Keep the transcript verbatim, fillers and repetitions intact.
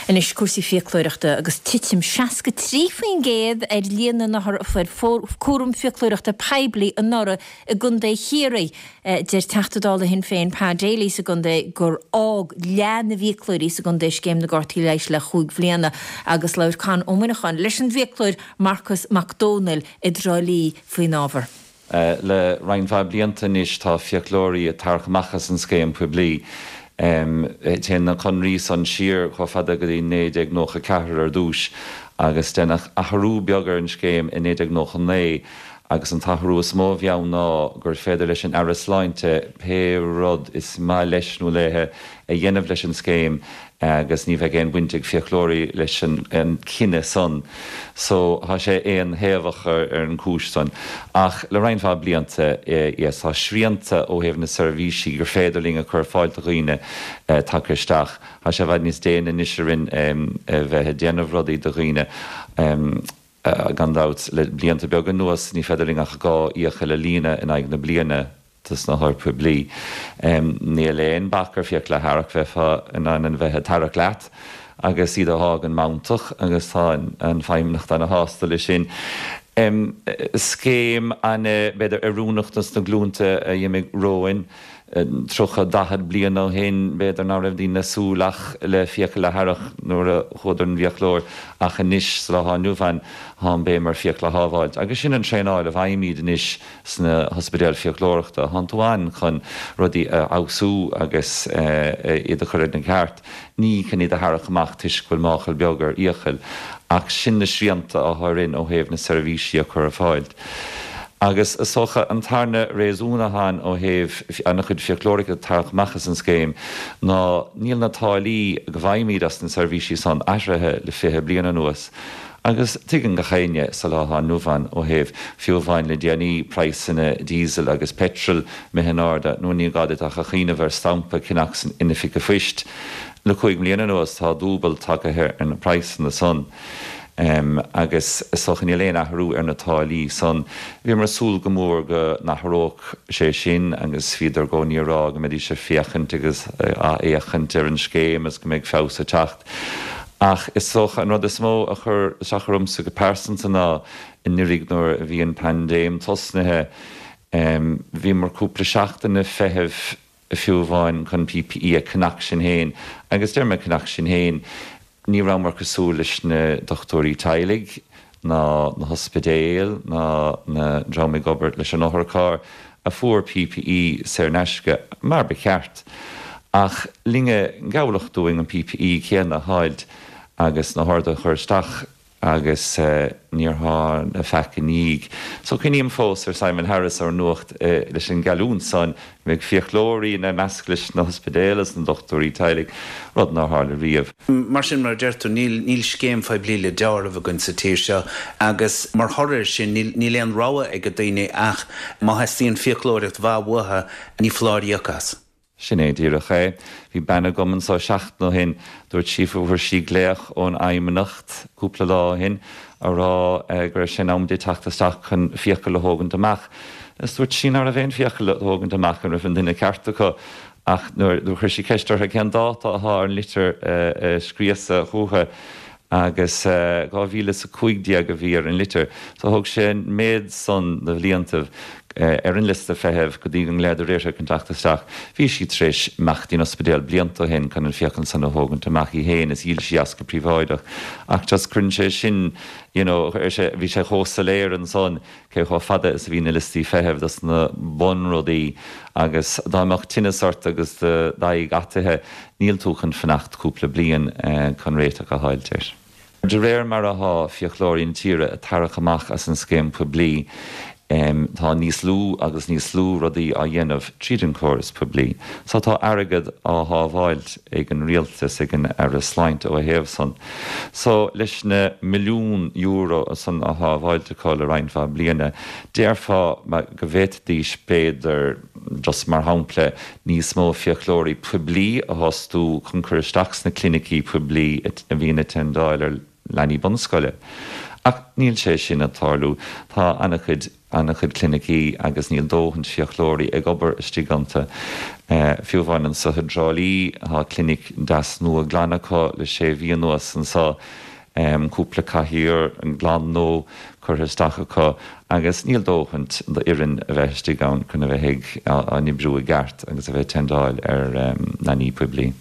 Anois cúrsaí fiaclóireachta agus titim seasca trí faoin gcéad ar líon na n-othar a fuair cúram fiaclóireachta poiblí anuraidh i gContae Chiarraí. Deir Teachta Dála Shinn Féin Pa Daly sa gcontae gur fhág leath na bhfiaclóirí sa gcontae scéim na gcártaí leighis le chúig bhliana agus labhair Con Ó Muineacháin leis an bhfiaclóir Marcus Mac Dónaill i dTrá Lí faoin ábhar. Le roinnt mhaith blianta anois tá fiaclóirí ag tarrac amach as an scéim poiblí. Téann na conraí san siar chomh fada go dtí naoi déag nócha ceathair ar dtús agus deineadh athrú beag ar an scéim i naoi déag nócha naoi agus an t-athrú is mó a bhí ann ná gur féidir leis an Aire Sláinte pé rud is maith leis nó léithe a dhéanamh leis an scéim agus ní bheidh aon bhaint ag fiaclóirí leis an cinneadh san. So tá sé aon-thaobhach ar an gcúis san. Ach le roinnt mhaith blianta, yes, tá srianta ó thaobh na seirbhísí gur féidir linn a chur ar fáil do dhaoine tagtha isteach. Tá sé i bhfad níos déine anois orainn a bheith ag déanamh rudaí do dhaoine. Gan dabht, le blianta beaga anuas ní féidir linn ach dhá fhiacail a líonadh in aghaidh na bliana dos na hothair poiblí. Níl aon bac ar fiacla a tharrac, bheifeá in ann a bheith ag tarrac leat agus iad a fhágaint mantach agus tá an Feidhmeannacht ana-shásta leis sin. Scéim ana, b'fhéidir, oiriúnach dos na glúnta a d'imigh romhainn. Tríocha, daichead bliain ó shin, b'fhéidir ná raibh daoine ag súil ach le fiacail a tharrac nuair a chuadar don bhfiaclóir ach anois, sa lá atá inniu ann, tá an béim ar fiacla a shábháilt. Agus sin an traenáil a bhfaighimid anois sna hospidéil fiaclóireachta. Tánn tú ann chun rudaí a fheabhsú agus iad a chur ina gceart. Ní chun iad a tharrac amach toisc go bhfuil máchail beag ar fhiacail. Ach sin na srianta atá orainn ó thaobh na seirbhísí a chur ar fáil. Agus is dócha an tarna réasún atá ann ó thaobh an-chuid fiaclóirí ag tarrac amach as an scéim ná níl na táillí go bhfaighimid as na seirbhísí san athraithe le fiche bliain anuas. Agus tuigeann gach éinne sa lá atá inniu ann ó thaobh, fiú amháin le déanaí, praghsanna diesel agus peitril imithe in airde, nó ní gá duit ach a chuimhneamh ar stampa a cheannach san in oifig an phoist. Le cúig mbliana anuas tá dúbailt tagtha ar na praghsanna san. Agus is dócha níl aon athrú ar na táillí san. Bhíomar ag súil go mór go n-athródh sé sin agus bhíodar i gcónaí ag rá go mbeidís ag féachaint agus á fhéachaint ar an scéim agus go mbeidh feabhas ag teacht. Ach is dócha an rud is mó a chuir isteach ormsa go pearsanta ná anuraidh nuair a bhí an paindéim tosnaithe, bhíomar cúpla seachtain ag feitheamh fiú amháin chun P P E a cheannach sinn féin. Agus deir mé ceannach sinn féin, ní rabhamar cosúil leis na dochtúirí teaghlaigh ná na hospidéil ná na dream ag obair leis an otharcharr a fuair P P E saor in aisce mar ba cheart. Ach linne gealladh dúinn an P P E céanna a fháilt agus na horduithe a chur isteach agus níor tharla faic ina dhiaidh. So cuimhním fós ar Simon Harris ar an nuacht leis an gheallúint san go mbeidh fiaclóirí ina measc leis na hospidéil is na dochtúirí teaghlaigh, rud nár tharla riamh. Mar sin, mar a deir tú, níl níl scéim phoiblí le deáramh againn sa tír seo agus mar thoradh air sin níl níl aon rogha ag daoine ach má theastaíonn fiaclóireacht mhaith uathu ní foláir íoc as. Sin é díreach é. Bhí bean agam anseo seachtain ó shin, dúirt sí fuair sí glaoch ón Fheidhmeannacht cúpla lá ó shin a rá go raibh sé in am di teacht isteach chun fiacail a thógaint amach. Is dúirt sí nach raibh aon fiacail a thógaint amach, an raibh an duine ceart acu. Ach nuair a chuir sí ceist orthu cén dáta atá ar an litir a scríosadh chucu, agus dhá mhíle is a cúig déag a bhí ar an litir. So thóg sé an méid san de bhliantaibh ar an liosta feithimh go dtí go nglaodar uirthi chun teacht isteach. Bhí sí tar éis imeacht dtí'n ospidéal blianta ó shin chun an fiacail san a thógaint amach í féin is dhíol sí as go príobháideach. Ach just cuireann sé sin, you know, bhí sé chomh soiléir ansan cé chomh fada is a bhí na liostaí feithimh dos na bunrudaí agus dá mbeadh tinneas ort agus d'aghaidh ataithe, níl tú chun fanacht cúpla bliain chun réiteach a fháilt air. De réir mar atá fiaclóirí na tíre ag tarrac amach as an scéim poiblí, tá níos lú agus níos lú rudaí á dhéanamh tríd an chóras poiblí. So tá airgead á shábháilt ag an rialtas, ag an Aire Sláinte ó thaobh san. So leis na milliún euro san á shábháilt acu le roinnt mhaith bliana, déarfá go bhféadfaidís b'fhéidir, just mar shampla, níos mó fiaclóirí poiblí a fhostú chun cur isteach sna clinicí poiblí a bhíonn ag tendáil ar leanaí bunscoile. Ach níl sé sin ag tarlú. Tá an-chuid an-chuid clinicí agus níl dóthain fiaclóirí ag obair istigh iontu. Fiú amháin anso i dTrá Lí tá clinic deas nua glan acu le sé mhí anuas anso, cúpla cathaoir glan nua curtha isteach acu agus níl dóthain d'fhoireann a bheith istigh ann chun a bheith ag á n-oibriú i gceart agus a bheith ag tendáil ar leanaí poiblí.